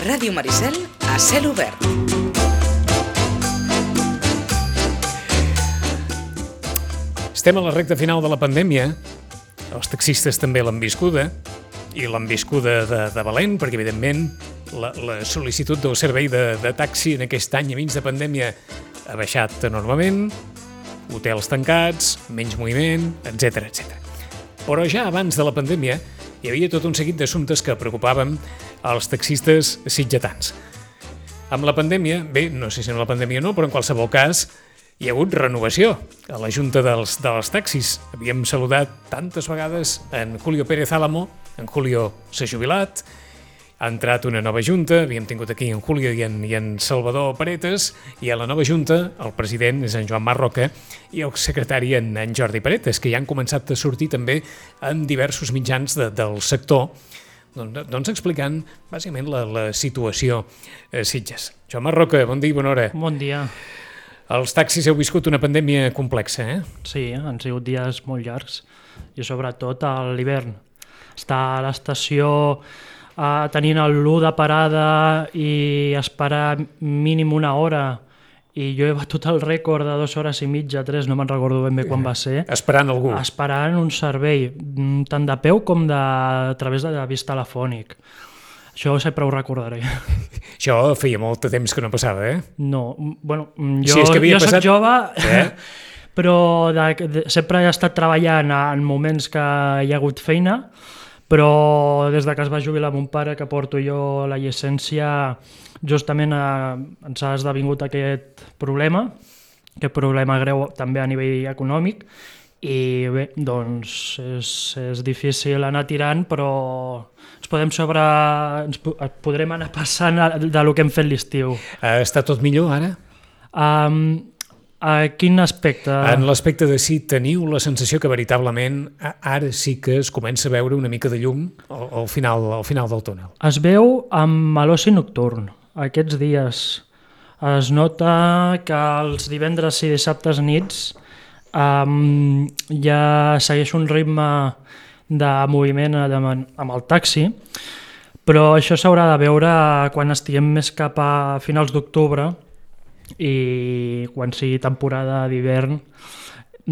Ràdio Maricel a cel obert. Estem a la recta final de la pandèmia. Els taxistes també l'han viscuda, i l'han viscuda de valent, perquè evidentment la sol·licitud del servei de taxi en aquest any i mig de pandèmia ha baixat enormement, hotels tancats, menys moviment, etc etc. Però ja abans de la pandèmia hi havia tot un seguit d'assumptes que preocupaven als taxistes sitgetans. Amb la pandèmia, bé, no sé si amb la pandèmia o no, però en qualsevol cas hi ha hagut renovació a la Junta dels Taxis. Havíem saludat tantes vegades en Julio Pérez Álamo, en Julio s'ha jubilat, ha entrat una nova Junta, havíem tingut aquí en Julio i en Salvador Paretes, i a la nova Junta el president és en Joan Marroca i el secretari en Jordi Paretes, que ja han començat a sortir també en diversos mitjans del sector, doncs explicant bàsicament la situació a Sitges. Joan Marroca, bon dia i bona hora. Bon dia. Els taxis heu viscut una pandèmia complexa, eh? Sí, han sigut dies molt llargs i sobretot a l'hivern. Estar a l'estació tenint l'1 de parada i esperar mínim una hora, i jo he batut el rècord de 2 hores i mitja, 3, no me'n recordo ben bé quan va ser. Esperant algú. Esperant un servei, tant de peu com a través de vist telefònic. Això sempre ho recordaré. Això feia molt de temps que no passava, eh? No, bueno, jo soc jove, però sempre he estat treballant en moments que hi ha hagut feina, però des que es va jubilar mon pare, que porto jo la llicència, justament ens ha esdevingut aquest problema greu també a nivell econòmic, i bé, doncs és difícil anar tirant, però ens podrem anar passant del que hem fet l'estiu. Està tot millor ara? A quin aspecte? En l'aspecte de si teniu la sensació que veritablement ara sí que es comença a veure una mica de llum al final del túnel. Es veu amb l'oci nocturn. Aquests dies es nota que els divendres i dissabtes nits ja segueix un ritme de moviment amb el taxi, però això s'haurà de veure quan estiguem més cap a finals d'octubre i quan sigui temporada d'hivern.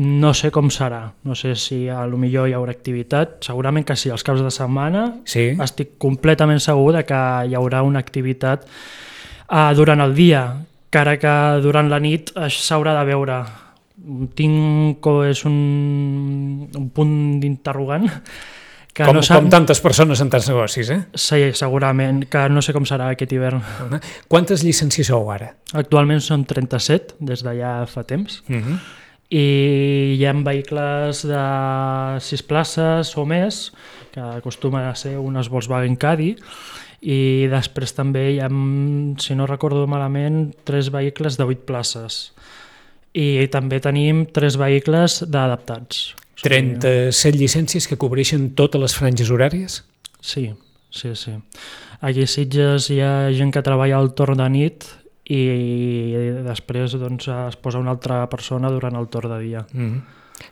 No sé com serà, no sé si potser hi haurà activitat, segurament que sí, els caps de setmana sí. Estic completament segur que hi haurà una activitat durant el dia, encara que durant la nit s'haurà de veure. És un punt d'interrogant. Com tantes persones en tants negocis, eh? Sí, segurament, que no sé com serà aquest hivern. Quantes llicències sou ara? Actualment són 37, des de ja fa temps, i hi ha vehicles de 6 places o més, que acostumen a ser unes Volkswagen Caddy, i després també hi ha, si no recordo malament, 3 vehicles de 8 places. I també tenim 3 vehicles d'adaptats. 37 llicències que cobreixen totes les franges horàries? Sí. Aquí a Sitges hi ha gent que treballa al torn de nit i després es posa una altra persona durant el torn de dia.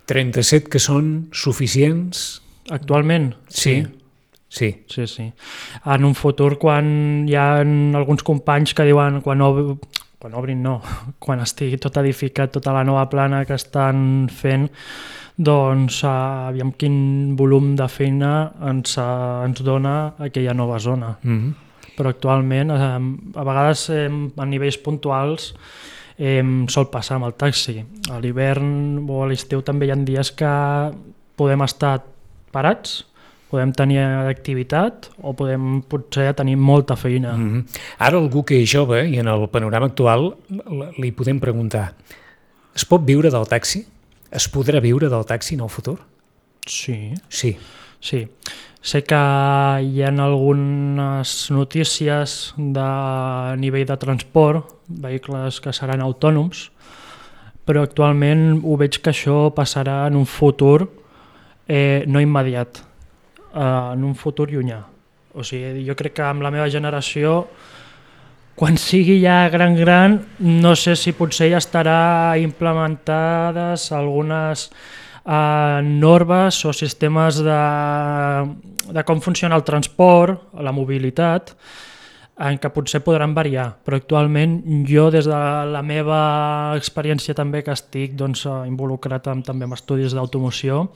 37 que són suficients? Actualment? Sí. En un futur, quan hi ha alguns companys que diuen quan estigui tot edificat, tota la nova plana que estan fent, doncs aviam quin volum de feina ens dona aquella nova zona. Però actualment, a vegades a nivells puntuals, sol passar amb el taxi. A l'hivern o a l'estiu també hi ha dies que podem estar parats, podem tenir activitat o podem potser tenir molta feina. Ara algú que és jove i en el panorama actual li podem preguntar: es pot viure del taxi? Es podrà viure del taxi en el futur? Sí. Sé que hi ha algunes notícies de nivell de transport, vehicles que seran autònoms, però actualment ho veig que això passarà en un futur no immediat, en un futur llunyà. O sigui, jo crec que amb la meva generació, quan sigui ja gran, no sé si potser ja estarà implementades algunes normes o sistemes de com funciona el transport, la mobilitat, en què potser podran variar, però actualment jo des de la meva experiència també que estic involucrat també en estudis d'automoció,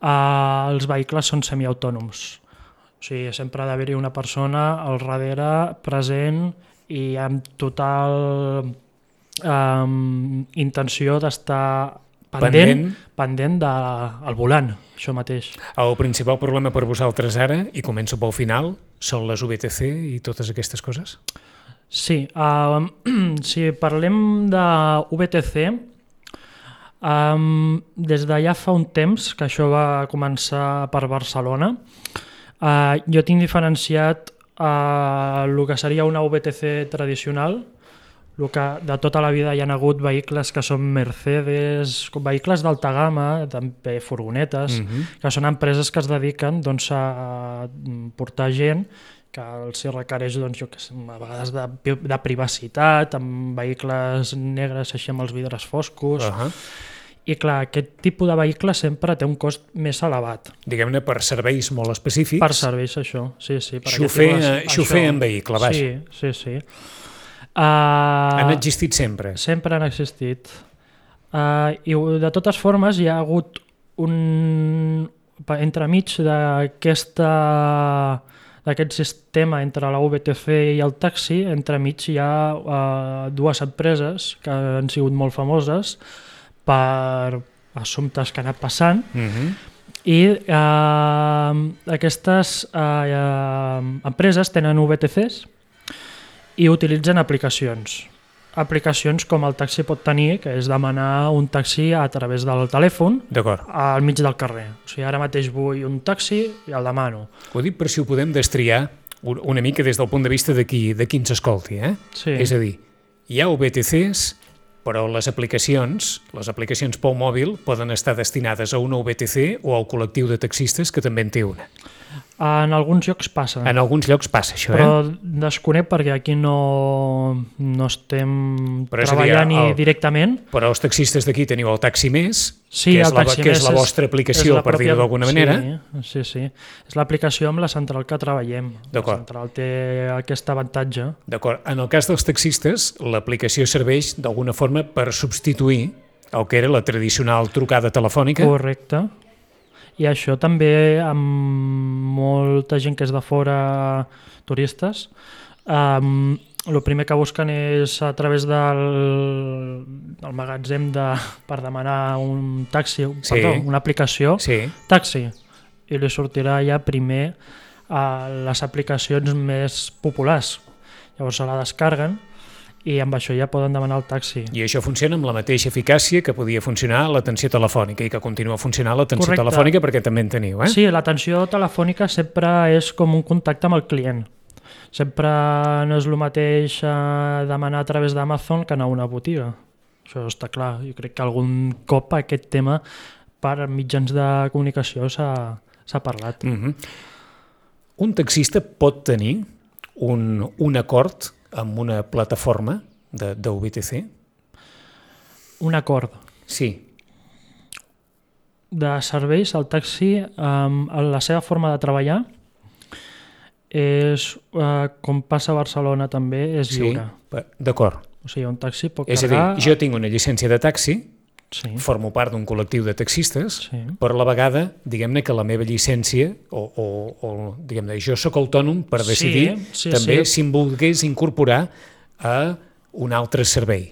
els vehicles són semiautònoms. O sigui, sempre ha d'haver-hi una persona al darrere present i amb total intenció d'estar pendent del volant, això mateix. El principal problema per vosaltres ara, i començo pel final, són les VTC i totes aquestes coses? Sí, si parlem de VTC, des de ja fa un temps, que això va començar per Barcelona, jo tinc diferenciat el que seria una VTC tradicional, el que de tota la vida hi ha hagut vehicles que són Mercedes, vehicles d'alta gamma, també furgonetes, que són empreses que es dediquen a portar gent que els requereix a vegades de privacitat, amb vehicles negres així amb els vidres foscos. I clar, aquest tipus de vehicle sempre té un cost més elevat. Diguem-ne per serveis molt específics. Per serveis, això, sí. Xofer en vehicle, vaja. Sí. Han existit sempre? Sempre han existit. I de totes formes hi ha hagut entremig d'aquest sistema entre la VTC i el taxi, entremig hi ha dues empreses que han sigut molt famoses per assumptes que han anat passant, i aquestes empreses tenen VTCs i utilitzen aplicacions com el taxi pot tenir, que és demanar un taxi a través del telèfon al mig del carrer. O sigui, ara mateix vull un taxi i el demano. Ho dic per si ho podem destriar una mica des del punt de vista de qui ens escolti. Sí. És a dir, hi ha VTCs, però les aplicacions pel mòbil poden estar destinades a una VTC o al col·lectiu de taxistes que també en té una. En alguns llocs passa. En alguns llocs passa això, però desconec perquè aquí no estem treballant directament. Però els taxistes d'aquí teniu el Taxi Més, sí, que és la vostra aplicació, per dir-ho d'alguna manera. Sí. És l'aplicació amb la central que treballem. La central té aquest avantatge. D'acord. En el cas dels taxistes, l'aplicació serveix d'alguna forma per substituir el que era la tradicional trucada telefònica. Correcte. I això també amb molta gent que és de fora, turistes, el primer que busquen és a través del magatzem per demanar un taxi, una aplicació, taxi, i li sortirà ja primer a les aplicacions més populars. Llavors se la descarguen i amb això ja poden demanar el taxi. I això funciona amb la mateixa eficàcia que podia funcionar l'atenció telefònica i que continua funcionant l'atenció telefònica perquè també en teniu, Sí, l'atenció telefònica sempre és com un contacte amb el client. Sempre no és el mateix demanar a través d'Amazon que anar a una botiga. Això està clar. Jo crec que algun cop aquest tema per mitjans de comunicació s'ha parlat. Un taxista pot tenir un acord amb una plataforma de VTC? Un acord? Sí. De serveis, el taxi, la seva forma de treballar és, com passa a Barcelona també, és lliure. Sí, d'acord. O sigui, un taxi pot carregar... És a dir, jo tinc una llicència de taxi, formo part d'un col·lectiu de taxistes, però a la vegada, diguem-ne que la meva llicència, o diguem-ne, jo sóc autònom per decidir també si em volgués incorporar a un altre servei.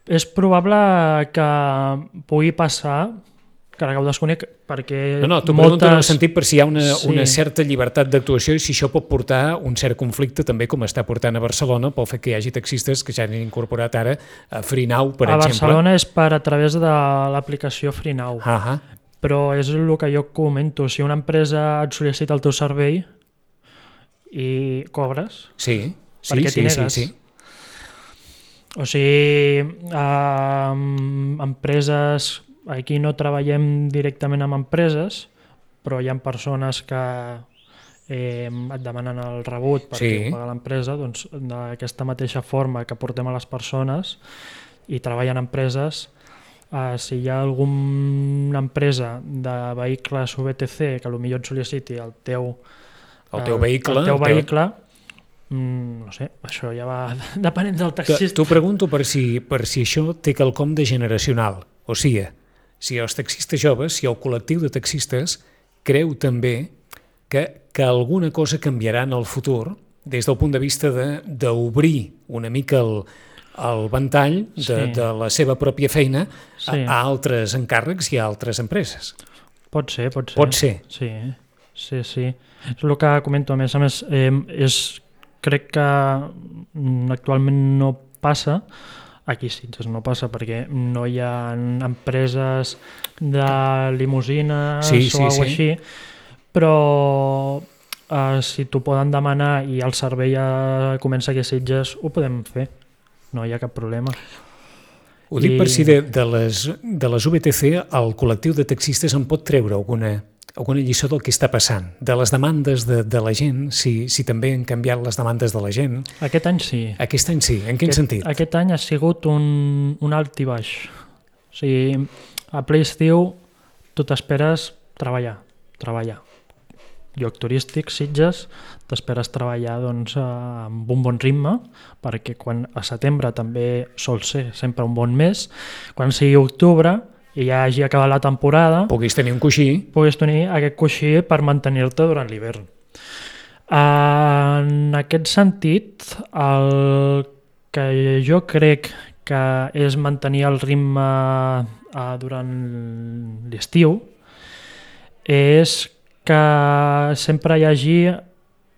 És probable que pugui passar, que ho desconec, perquè t'ho pregunto en el sentit per si hi ha una certa llibertat d'actuació i si això pot portar un cert conflicte també com està portant a Barcelona pel fet que hi hagi taxistes que ja han incorporat ara a Freenow, per exemple. A Barcelona és a través de l'aplicació Freenow, però és el que jo comento, si una empresa et sol·licita el teu servei i cobres, perquè t'hi negues. O sigui, empreses... Aquí no treballem directament amb empreses, però hi ha persones que et demanen el rebut perquè paga l'empresa, doncs d'aquesta mateixa forma que portem a les persones i treballen empreses, si hi ha alguna empresa de vehicles VTC que potser et sol·liciti el teu vehicle, No sé, això ja va depenent del taxista. T'ho pregunto per si això té quelcom de generacional. O sigui, si els taxistes joves, si el col·lectiu de taxistes creu també que alguna cosa canviarà en el futur des del punt de vista d'obrir una mica el ventall de la seva pròpia feina a altres encàrrecs i a altres empreses. Pot ser. Pot ser. Sí. És el que comento. A més, crec que actualment no passa. Aquí Sitges no passa perquè no hi ha empreses de limusines o alguna cosa així, però si t'ho poden demanar i el servei ja comença aquí a Sitges, ho podem fer. No hi ha cap problema. Ho dic per si de les VTC el col·lectiu de taxistes en pot treure alguna lliçó del que està passant, de les demandes de la gent, si també han canviat les demandes de la gent. Aquest any sí. Aquest any sí, en quin sentit? Aquest any ha sigut un alt i baix. O sigui, a ple estiu tu t'esperes treballar. Lloc turístic, Sitges, t'esperes treballar amb un bon ritme, perquè quan a setembre també sol ser sempre un bon mes, quan sigui octubre i ja hagi acabat la temporada, puguis tenir un coixí. Puguis tenir aquest coixí per mantenir-te durant l'hivern. En aquest sentit, el que jo crec que és mantenir el ritme durant l'estiu és que sempre hi hagi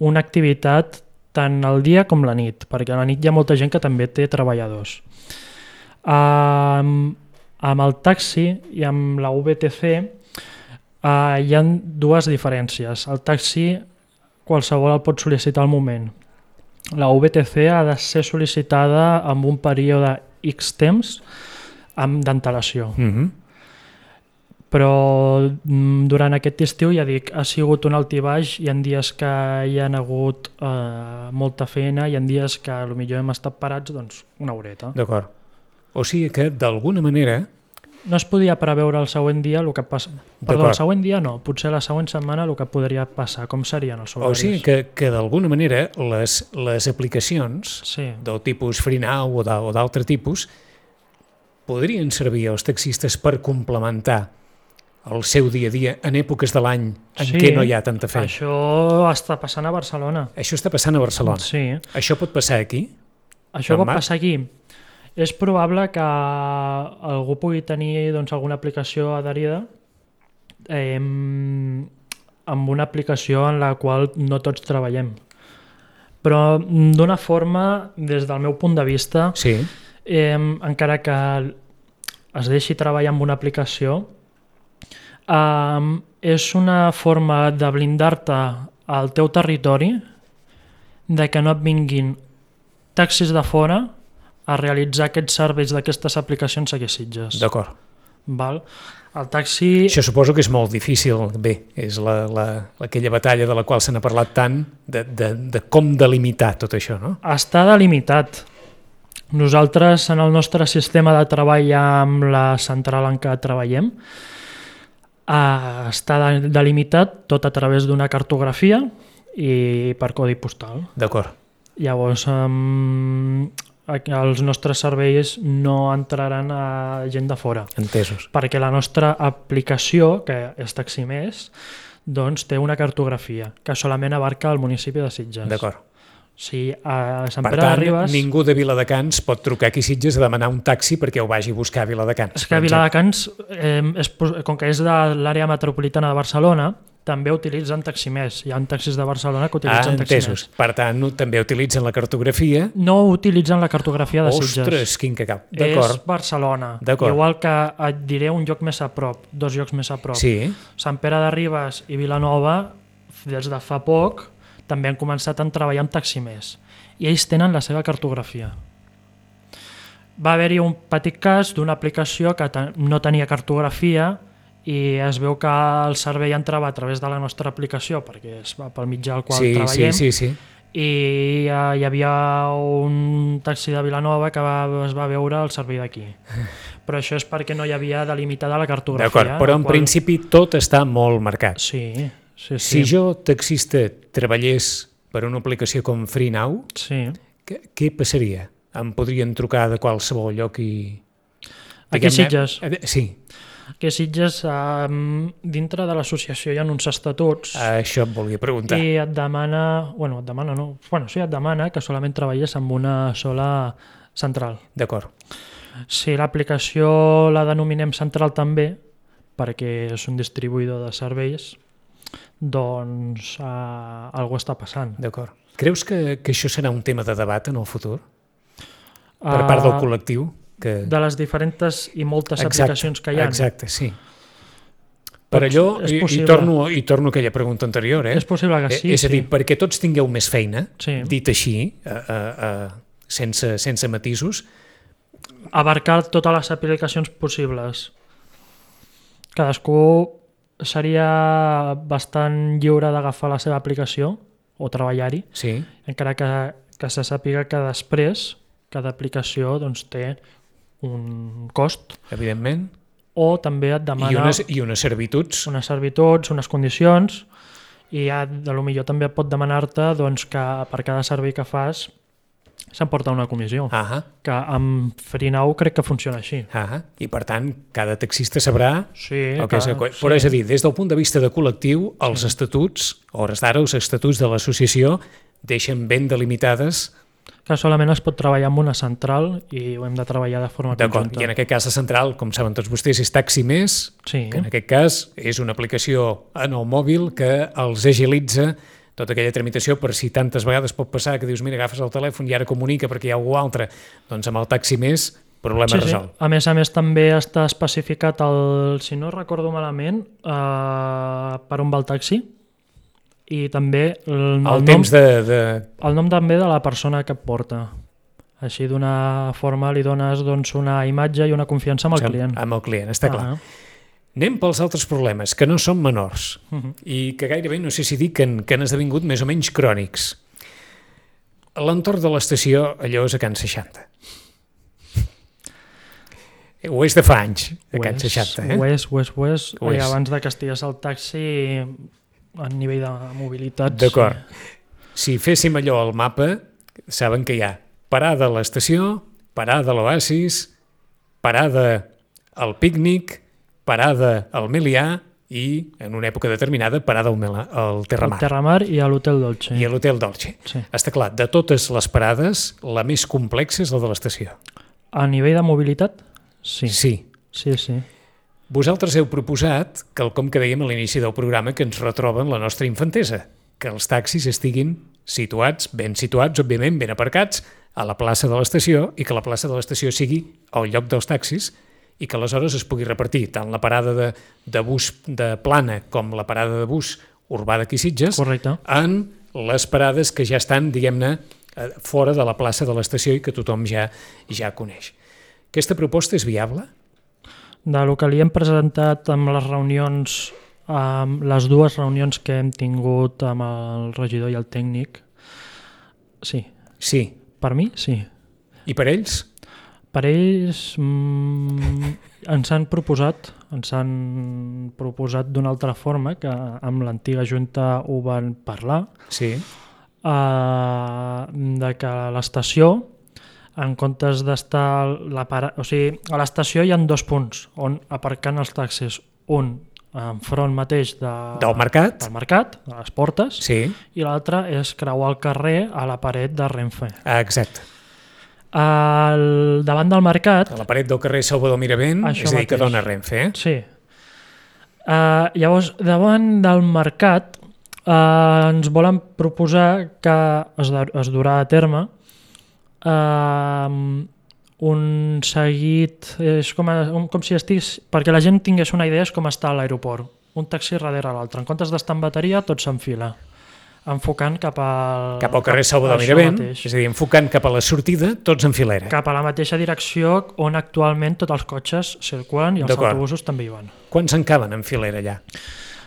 una activitat tant al dia com la nit, perquè a la nit hi ha molta gent que també té treballadors. Amb el taxi i amb la VTC hi ha dues diferències. El taxi qualsevol el pot sol·licitar al moment. La VTC ha de ser sol·licitada amb un període X temps d'antelació. Però durant aquest estiu, ja dic, ha sigut un alt i baix, hi ha dies que hi ha hagut molta feina, hi ha dies que potser hem estat parats una horeta. D'acord. O sigui que, d'alguna manera... No es podia preveure el següent dia el que passa. Perdó, el següent dia no, potser la següent setmana el que podria passar, com serien els horaris. O sigui que d'alguna manera les aplicacions del tipus FreeNow o d'altre tipus podrien servir als taxistes per complementar el seu dia a dia en èpoques de l'any en què no hi ha tanta feina. Això està passant a Barcelona. Això està passant a Barcelona? Sí. Això pot passar aquí? Això pot passar aquí. És probable que algú pugui tenir alguna aplicació adherida amb una aplicació en la qual no tots treballem. Però d'una forma, des del meu punt de vista, encara que es deixi treballar amb una aplicació, és una forma de blindar-te al teu territori, de que no et vinguin taxis de fora a realitzar aquests serveis d'aquestes aplicacions aquí a Sitges. D'acord. El taxi... Això suposo que és molt difícil. Bé, és aquella batalla de la qual se n'ha parlat tant, de com delimitar tot això, no? Està delimitat. Nosaltres, en el nostre sistema de treball amb la central en què treballem, està delimitat tot a través d'una cartografia i per codi postal. D'acord. Llavors, els nostres serveis no entraran a gent de fora. Entesos. Perquè la nostra aplicació, que és Taximés, té una cartografia que solament abarca el municipi de Sitges. D'acord. Si a Sant Pere de Ribes... ningú de Viladecans pot trucar aquí a Sitges a demanar un taxi perquè ho vagi a buscar a Viladecans. És que Viladecans, com que és de l'àrea metropolitana de Barcelona, també utilitzen Taximés. Hi ha taxis de Barcelona que utilitzen Taximés. Per tant, també utilitzen la cartografia. No utilitzen la cartografia de Sitges. Ostres, quin cacau. És Barcelona. Igual que et diré un lloc més a prop, 2 llocs més a prop. Sí. Sant Pere de Ribes i Vilanova, des de fa poc, també han començat a treballar amb Taximés. I ells tenen la seva cartografia. Va haver-hi un petit cas d'una aplicació que no tenia cartografia i es veu que el servei entrava a través de la nostra aplicació, perquè és pel mitjà al qual treballem, i hi havia un taxi de Vilanova que es va veure el servei d'aquí. Però això és perquè no hi havia delimitada la cartografia. D'acord, però en principi tot està molt marcat. Sí. Si jo, taxista, treballés per una aplicació com FreeNow, Sí. què passaria? Em podrien trucar de qualsevol lloc i... Aquí a Sitges. Sí. Aquí a Sitges, dintre de l'associació hi ha uns estatuts Això et volia preguntar. i et demana, et demana que solament treballes amb una sola central. D'acord. Si l'aplicació la denominem central també, perquè és un distribuïdor de serveis, doncs alguna està passant. D'acord. Creus que això serà un tema de debat en el futur? Per part del col·lectiu? De les diferents i moltes aplicacions que hi ha. Exacte, sí. Per allò, i torno a aquella pregunta anterior, És possible que sí. És a dir, perquè tots tingueu més feina, Sí. dit així, sense matisos, Abarcar totes les aplicacions possibles. Cadascú seria bastant lliure d'agafar la seva aplicació o treballar-hi, sí, encara que se sàpiga que després cada aplicació doncs, té un cost, evidentment, o també et demana i unes servituds. unes servituds, unes condicions, i potser també pot demanar-te doncs, que per cada servei que fas s'emporta una comissió. Que amb FreeNow crec que funciona així. I per tant, cada taxista sabrà Sí, el que és. Però és a dir, des del punt de vista de col·lectiu, els estatuts, a hores d'ara, els estatuts de l'associació deixen ben delimitades. Que solament es pot treballar amb una central i ho hem de treballar de forma conjunta. I en aquest cas la central, com saben tots vostès, és Taxi Més, Sí. que en aquest cas és una aplicació en el mòbil que els agilitza tota aquella tramitació, per si tantes vegades pot passar que dius, mira, agafes el telèfon i ara comunica perquè hi ha algú altre, doncs amb el Taxi Més, problema resolt. A més també està especificat, si no recordo malament, per on va el taxi, i també el nom també de la persona que et porta. Així d'una forma li dones doncs, una imatge i una confiança amb el client. Amb el client, està clar. Anem pels altres problemes, que no són menors i que gairebé, no sé si dir, que han esdevingut més o menys crònics. L'entorn de l'estació, allò és a Can 60. Ho és de fa anys, a Can 60. Ho és. Abans de que estigués al taxi, a nivell de mobilitat... D'acord. Si féssim allò al mapa, saben que hi ha parada a l'estació, parada a l'Oasis, parada al pícnic, parada al Melià i, en una època determinada, parada al Terramar. Al Terramar i a l'Hotel Dolce. I a l'Hotel Dolce. Sí. Està clar, de totes les parades, la més complexa és la de l'estació. A nivell de mobilitat? Sí. Sí. Vosaltres heu proposat quelcom que dèiem a l'inici del programa, que ens retroba en la nostra infantesa, que els taxis estiguin situats, ben situats, òbviament, ben aparcats, a la plaça de l'estació, i que la plaça de l'estació sigui el lloc dels taxis, i que aleshores es pugui repartir tant la parada de bus de Plana com la parada de bus urbà d'aquí Sitges. Correcte. En les parades que ja estan, diguem-ne, fora de la plaça de l'estació i que tothom ja coneix. Aquesta proposta és viable? Del que li hem presentat amb les reunions, amb les dues reunions que hem tingut amb el regidor i el tècnic, sí. Sí. Per mi, sí. I per ells? Per ells ens han proposat d'una altra forma, que amb l'antiga Junta ho van parlar, sí. De que a l'estació, en comptes d'estar... a l'estació hi ha dos punts on aparcant els taxis. Un enfront mateix del mercat, de les portes, sí. I l'altre és creuar el carrer a la paret de Renfe. Exacte. Davant del mercat... A la paret del carrer Salvador Miravent, és a dir, que dona Renfe. Sí. Llavors, davant del mercat ens volen proposar que es durà a terme un seguit, és com si estigués, perquè la gent tingués una idea, és com estar a l'aeroport, un taxi darrere l'altre. En comptes d'estar en bateria, tot s'enfila, enfocant cap al carrer Salvador Miravent, és a dir, enfocant cap a la sortida, tots en filera. Cap a la mateixa direcció on actualment tots els cotxes circulen i els autobusos també hi van. Quants en caben en filera allà?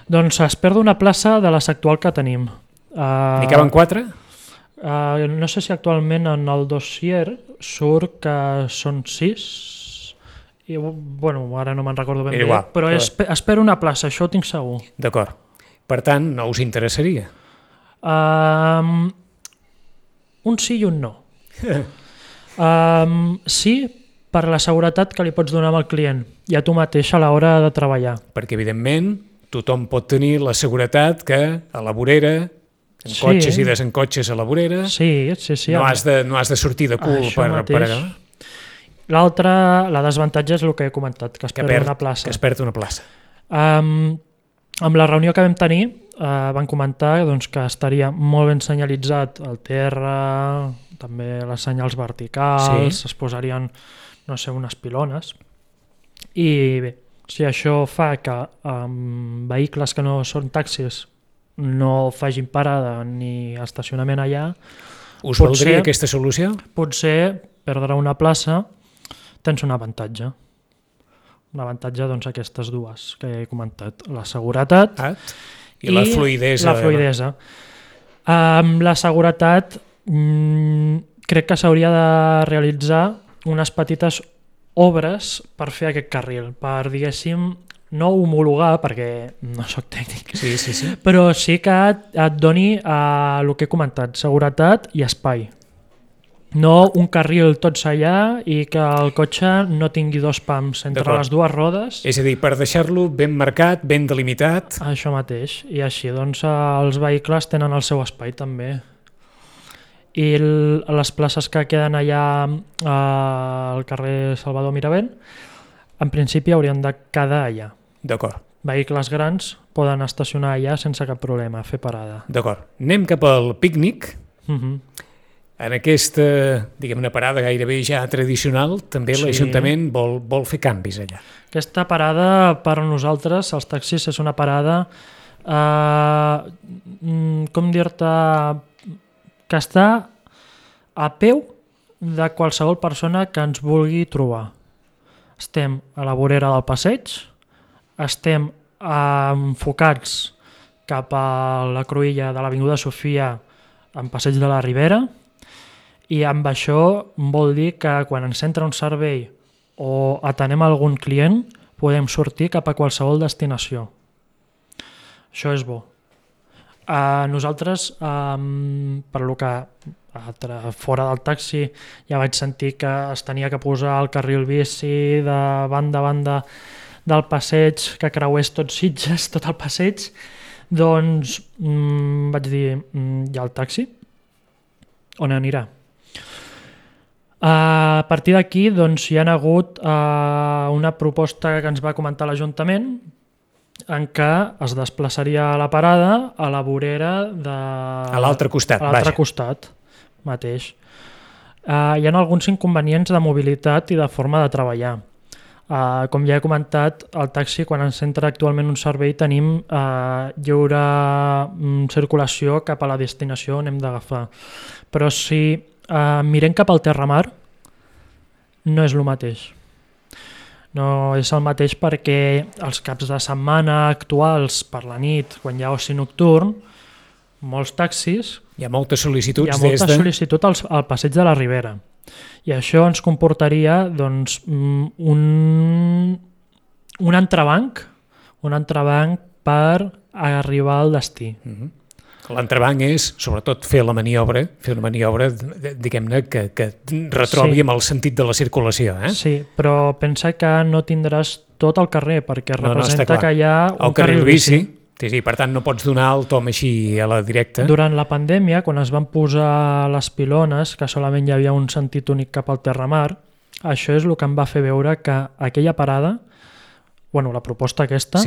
Doncs es perd una plaça de les actual que tenim. N'hi caben 4? No sé si actualment en el dossier surt que són 6, i, ara no me'n recordo ben bé, però es perd una plaça, això ho tinc segur. D'acord. Per tant, no us interessaria? Un sí i un no. Sí, per la seguretat que li pots donar al client i a tu mateix a l'hora de treballar. Perquè, evidentment, tothom pot tenir la seguretat que a la vorera, encotxes i desencotxes a la vorera, sí. no has de sortir de cul per allà. L'altre, la desavantatge és el que he comentat, que es perd una plaça. Que es perd una plaça. Amb la reunió que vam tenir van comentar doncs, que estaria molt ben senyalitzat el terra, també les senyals verticals, es posarien, no sé, unes pilones. I bé, si això fa que vehicles que no són taxis no facin parada ni estacionament allà... Us valdria aquesta solució? Potser perdre una plaça tens un avantatge. Un avantatge, doncs, aquestes dues que he comentat. La seguretat i la fluïdesa. La seguretat crec que s'hauria de realitzar unes petites obres per fer aquest carril, per, diguéssim, no homologar, perquè no sóc tècnic, sí. però sí que et doni el que he comentat, seguretat i espai. No un carril tots allà i que el cotxe no tingui dos pams entre les dues rodes. És a dir, per deixar-lo ben marcat, ben delimitat. Això mateix. I així doncs els vehicles tenen el seu espai també. I les places que queden allà al carrer Salvador Miravent, en principi haurien de quedar allà. D'acord. Vehicles grans poden estacionar allà sense cap problema, fer parada. D'acord. Anem cap al pícnic. En aquesta, diguem-ne, parada gairebé ja tradicional, també l'Ajuntament vol fer canvis allà. Aquesta parada, per a nosaltres, els taxis, és una parada, com dir-te, que està a peu de qualsevol persona que ens vulgui trobar. Estem a la vorera del passeig, estem enfocats cap a la cruïlla de l'Avinguda Sofia en Passeig de la Ribera, i amb això vol dir que quan ens entra un servei o atenem algun client podem sortir cap a qualsevol destinació. Això és bo. Nosaltres, per lo que fora del taxi ja vaig sentir que es tenia que posar el carril bici de banda a banda del passeig, que creués tot Sitges, tot el passeig, doncs vaig dir, hi ha el taxi? On anirà? A partir d'aquí doncs, hi ha hagut una proposta que ens va comentar l'Ajuntament en què es desplaçaria la parada a la vorera a l'altre costat, costat mateix. Hi ha alguns inconvenients de mobilitat i de forma de treballar. Com ja he comentat, el taxi, quan ens entra actualment un servei, tenim lliure circulació cap a la destinació on hem d'agafar. Però si mirem cap al terramar, no és el mateix. No és el mateix perquè els caps de setmana actuals per la nit, quan hi ha oci nocturn, molts taxis... Hi ha moltes sol·licituds sol·licitud al passeig de la Ribera. I això ens comportaria doncs, un entrebanc per arribar al destí. L'entrebanc és, sobretot, fer una maniobra, diguem-ne, que retrobi amb el sentit de la circulació. Sí, però pensa que no tindràs tot el carrer, perquè representa que hi ha un carril bici. Sí, per tant no pots donar el tom així a la directa. Durant la pandèmia, quan es van posar les pilones, que solament hi havia un sentit únic cap al terramar, això és el que em va fer veure que aquella parada, la proposta aquesta,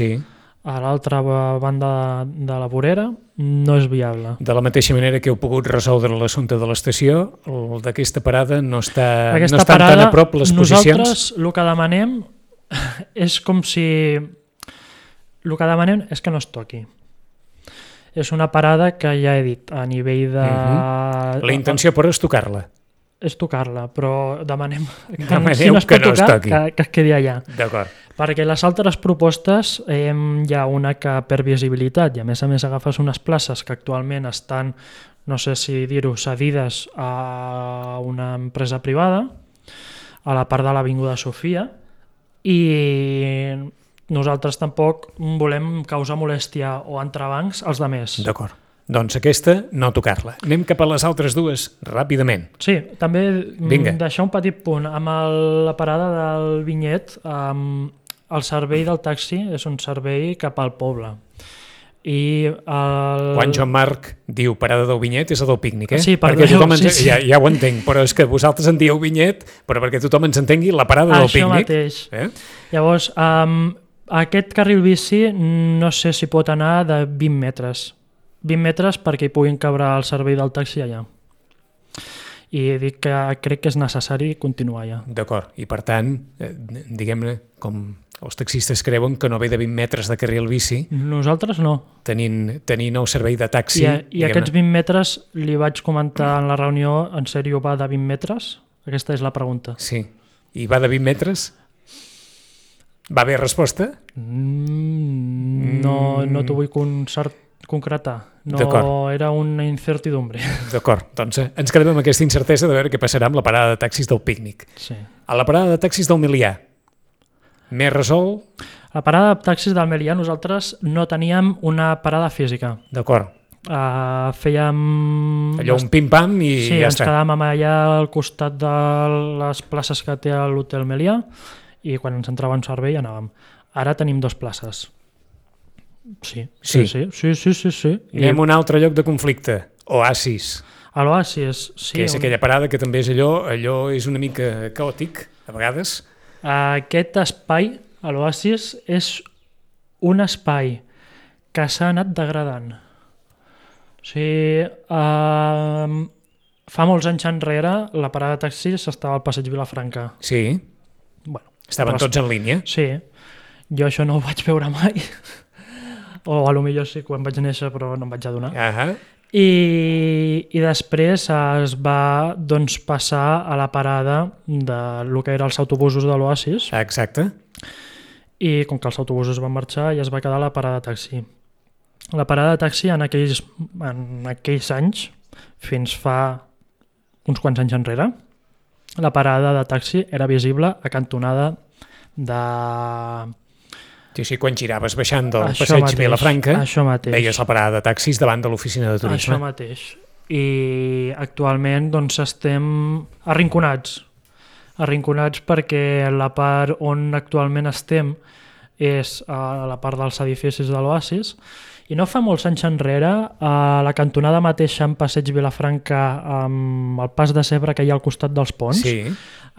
a l'altra banda de la vorera, no és viable. De la mateixa manera que heu pogut resoldre l'assumpte de l'estació, el d'aquesta parada no estan tan a prop les posicions. Nosaltres el que demanem és com si... El que demanem és que no es toqui. És una parada que ja he dit, a nivell de... La intenció però és tocar-la. És tocar-la, però demanem si no es pot tocar, que es quedi allà. D'acord. Perquè les altres propostes hi ha una que per visibilitat i a més agafes unes places que actualment estan, no sé si dir-ho, cedides a una empresa privada a la part de l'Avinguda Sofia i nosaltres tampoc volem causar molèstia o entrebancs als demés. D'acord. Doncs aquesta, no tocar-la. Anem cap a les altres dues, ràpidament. Sí, també deixar un petit punt. Amb la parada del Vinyet, el servei del taxi és un servei cap al poble. Quan Joan Marc diu parada del Vinyet és el del pícnic, Sí, perquè tothom ja ho entenc, però és que vosaltres en dieu Vinyet, però perquè tothom ens entengui la parada del pícnic. Això mateix. Llavors, aquest carril bici no sé si pot anar de 20 metres. 20 metres perquè hi puguin cabre el servei del taxi allà. I dic que crec que és necessari continuar allà. D'acord, i per tant, diguem-ne, com els taxistes creuen que no ve de 20 metres de carril bici. Nosaltres no. Tenint el servei de taxi... I aquests 20 metres li vaig comentar en la reunió, en sèrio va de 20 metres? Aquesta és la pregunta. Sí. I va de 20 metres? Va haver resposta? No t'ho vull concretar. No, era una incertidumbre. D'acord, doncs ens quedem amb aquesta incertesa de veure què passarà amb la parada de taxis del pícnic. Sí. A la parada de taxis del Milià, més resolt? A la parada de taxis del Milià nosaltres no teníem una parada física. D'acord. Fèiem... Allò un pim-pam i sí, ja està. Sí, ens quedàvem allà al costat de les places que té l'hotel Melià i quan ens entrava en servei anàvem. Ara tenim 2 places. Sí. Anem a un altre lloc de conflicte, Oasis. A l'Oasis, sí. Que és aquella parada que també és allò és una mica caòtic, a vegades. Aquest espai, a l'Oasis, és un espai que s'ha anat degradant. O sigui, fa molts anys enrere la parada de taxis estava al passeig Vilafranca. Sí. Bueno, estaven tots en línia. Sí. Jo això no ho vaig veure mai. O potser sí quan vaig néixer, però no em vaig adonar. I després es va passar a la parada del que eren els autobusos de l'Oasis. Exacte. I com que els autobusos van marxar ja es va quedar la parada de taxi. La parada de taxi en aquells anys, fins fa uns quants anys enrere, la parada de taxi era visible a cantonada de... Sí, quan giraves baixant del passeig Vilafranca, veies la parada de taxis davant de l'oficina de turisme. Això mateix. I actualment estem arrinconats perquè la part on actualment estem és a la part dels edificis de l'Oasis i no fa molts anys enrere a la cantonada mateixa en passeig Vilafranca amb el pas de Cebre que hi ha al costat dels ponts,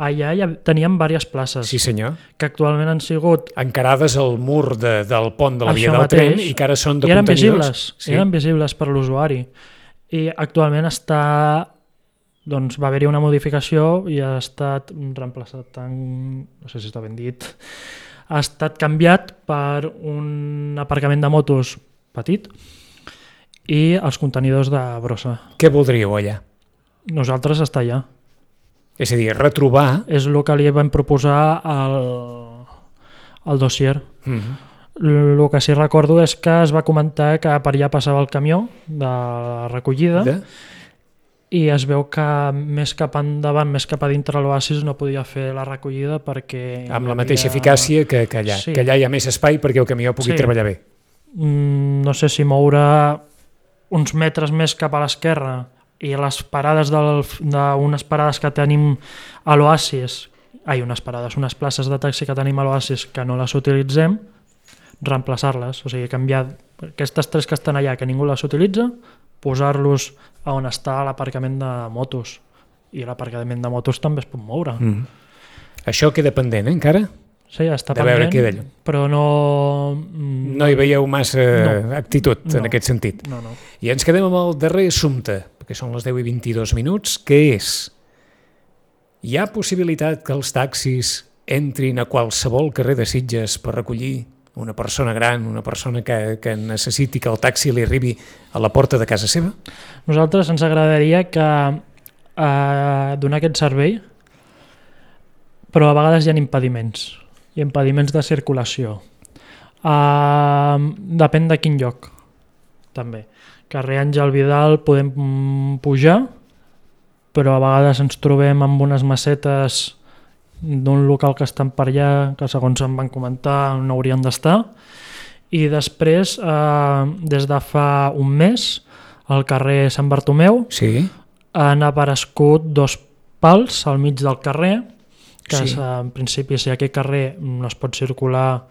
allà ja teníem diverses places. Sí, senyor. Que actualment han sigut... encarades al mur del pont de la via del tren i que ara són de contenidors. Eren visibles per l'usuari. I actualment va haver-hi una modificació i ha estat reemplaçat no sé si està ben dit, ha estat canviat per un aparcament de motos petit i els contenidors de brossa. Què voldríeu allà? Nosaltres estar allà. És a dir, retrobar... És el que li vam proposar al dossier. El que sí recordo és que es va comentar que per allà passava el camió de recollida i es veu que més cap endavant, més cap a dintre l'Oasis no podia fer la recollida perquè... Amb la mateixa eficàcia que allà. Sí. Que allà hi ha més espai perquè el camió pugui treballar bé. No sé si moure uns metres més cap a l'esquerra i les parades d'unes parades que tenim a l'Oasis, unes places de taxi que tenim a l'Oasis que no les utilitzem, reemplaçar-les, o sigui, canviar aquestes 3 que estan allà que ningú les utilitza, posar-los a on està l'aparcament de motos. I l'aparcament de motos també es pot moure. Això queda pendent, encara? Sí, està pendent, però no... No hi veieu massa actitud en aquest sentit. No. I ens quedem amb el darrer assumpte, perquè són les 10:22 minuts, que és: hi ha possibilitat que els taxis entrin a qualsevol carrer de Sitges per recollir una persona gran, una persona que necessiti que el taxi li arribi a la porta de casa seva? Nosaltres ens agradaria que donar aquest servei, però a vegades hi ha impediments. Hi ha impediments de circulació. Depèn de quin lloc, també. Carrer Àngel Vidal podem pujar, però a vegades ens trobem amb unes macetes d'un local que estan per allà, que segons em van comentar no haurien d'estar. I després, des de fa un mes, al carrer Sant Bartomeu, Sí. han aparegut 2 pals al mig del carrer, que Sí. en principi si aquest carrer no es pot circular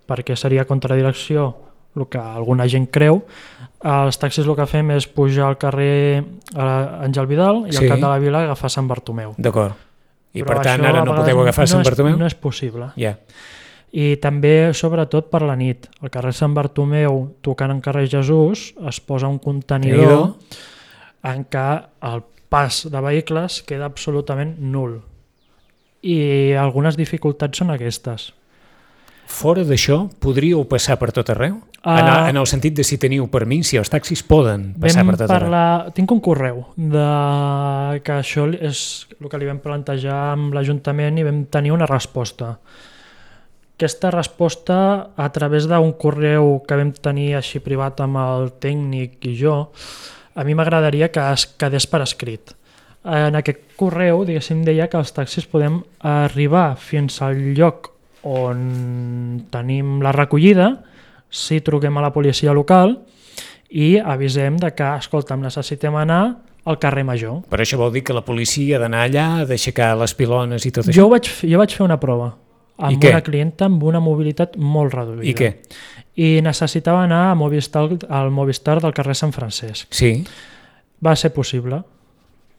perquè seria contradirecció el que alguna gent creu, els taxis el que fem és pujar al carrer Àngel Vidal i Sí. al cap de la vila agafar Sant Bartomeu. D'acord. I Però per tant això ara a no vegades podeu agafar Sant Bartomeu? No és possible. Ja. I també, sobretot, per la nit. Al carrer Sant Bartomeu, tocant en carrer Jesús, es posa un contenidor en què el pas de vehicles queda absolutament nul. I algunes dificultats són aquestes. Fora d'això, podríeu passar per tot arreu? En el sentit de si teniu permís, si els taxis poden passar per tot arreu. Tinc un correu que això és el que li vam plantejar amb l'Ajuntament i vam tenir una resposta. Aquesta resposta, a través d'un correu que vam tenir així privat amb el tècnic i jo, a mi m'agradaria que es quedés per escrit. En aquest correu, diguéssim, deia que els taxis podem arribar fins al lloc on tenim la recollida si truquem a la policia local i avisem de que, escolta'm, necessitem anar al carrer Major. Però això vol dir que la policia ha d'anar allà, ha d'aixecar les pilones i tot això? Jo vaig fer una prova amb què? una clienta amb una mobilitat molt reduïda. I què? I necessitava anar al Movistar del carrer Sant Francesc. Sí. Va ser possible.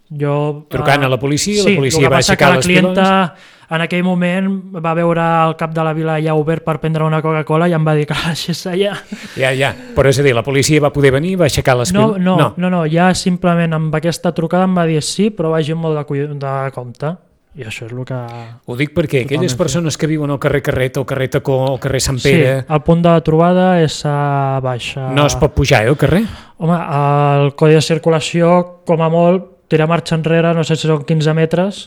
Trucant a la policia, sí, la policia va aixecar les pilones. La clienta en aquell moment va veure el cap de la vila ja obert per prendre una Coca-Cola i em va dir que la deixés allà. Ja, però és a dir, la policia va poder venir, va aixecar les pilones? No, ja simplement amb aquesta trucada em va dir sí, però vagi amb molt de compte. I això és el que... Ho dic perquè aquelles persones que viuen al carrer Carret, al carrer Tacó, al carrer Sant Pere... Sí, el punt de trobada és a baixa... No es pot pujar, al carrer? Home, el codi de circulació, com a molt, tira marxa enrere, no sé si són 15 metres,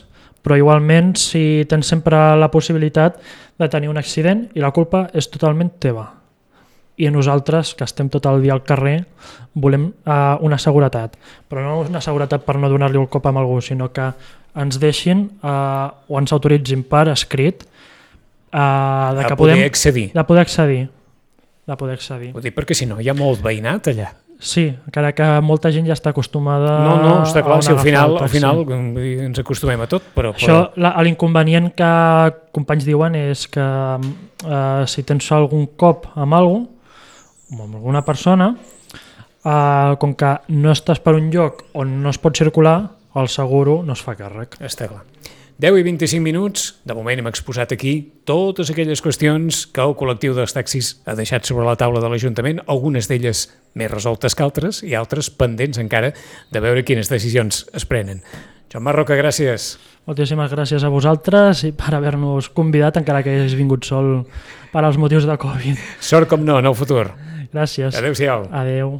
però igualment si tens sempre la possibilitat de tenir un accident i la culpa és totalment teva. I nosaltres, que estem tot el dia al carrer, volem una seguretat. Però no una seguretat per no donar-li el cop a algú, sinó que ens deixin o ens autoritzin per escrit de poder accedir. De poder accedir. Ho dic perquè si no hi ha molt veïnat allà. Sí, encara que molta gent ja està acostumada No, està clar, si al final ens acostumem a tot, però... Això, l'inconvenient que companys diuen és que si tens algun cop amb algú, amb alguna persona, com que no estàs per un lloc on no es pot circular, el seguro no es fa càrrec. Està clar. 10 i 25 minuts, de moment hem exposat aquí totes aquelles qüestions que el col·lectiu dels taxis ha deixat sobre la taula de l'Ajuntament, algunes d'elles més resoltes que altres i altres pendents encara de veure quines decisions es prenen. Joan Marroca, gràcies. Moltíssimes gràcies a vosaltres i per haver-nos convidat, encara que hagis vingut sol per als motius de Covid. Sort com no, en el futur. Gràcies. Adéu-siau. Adéu.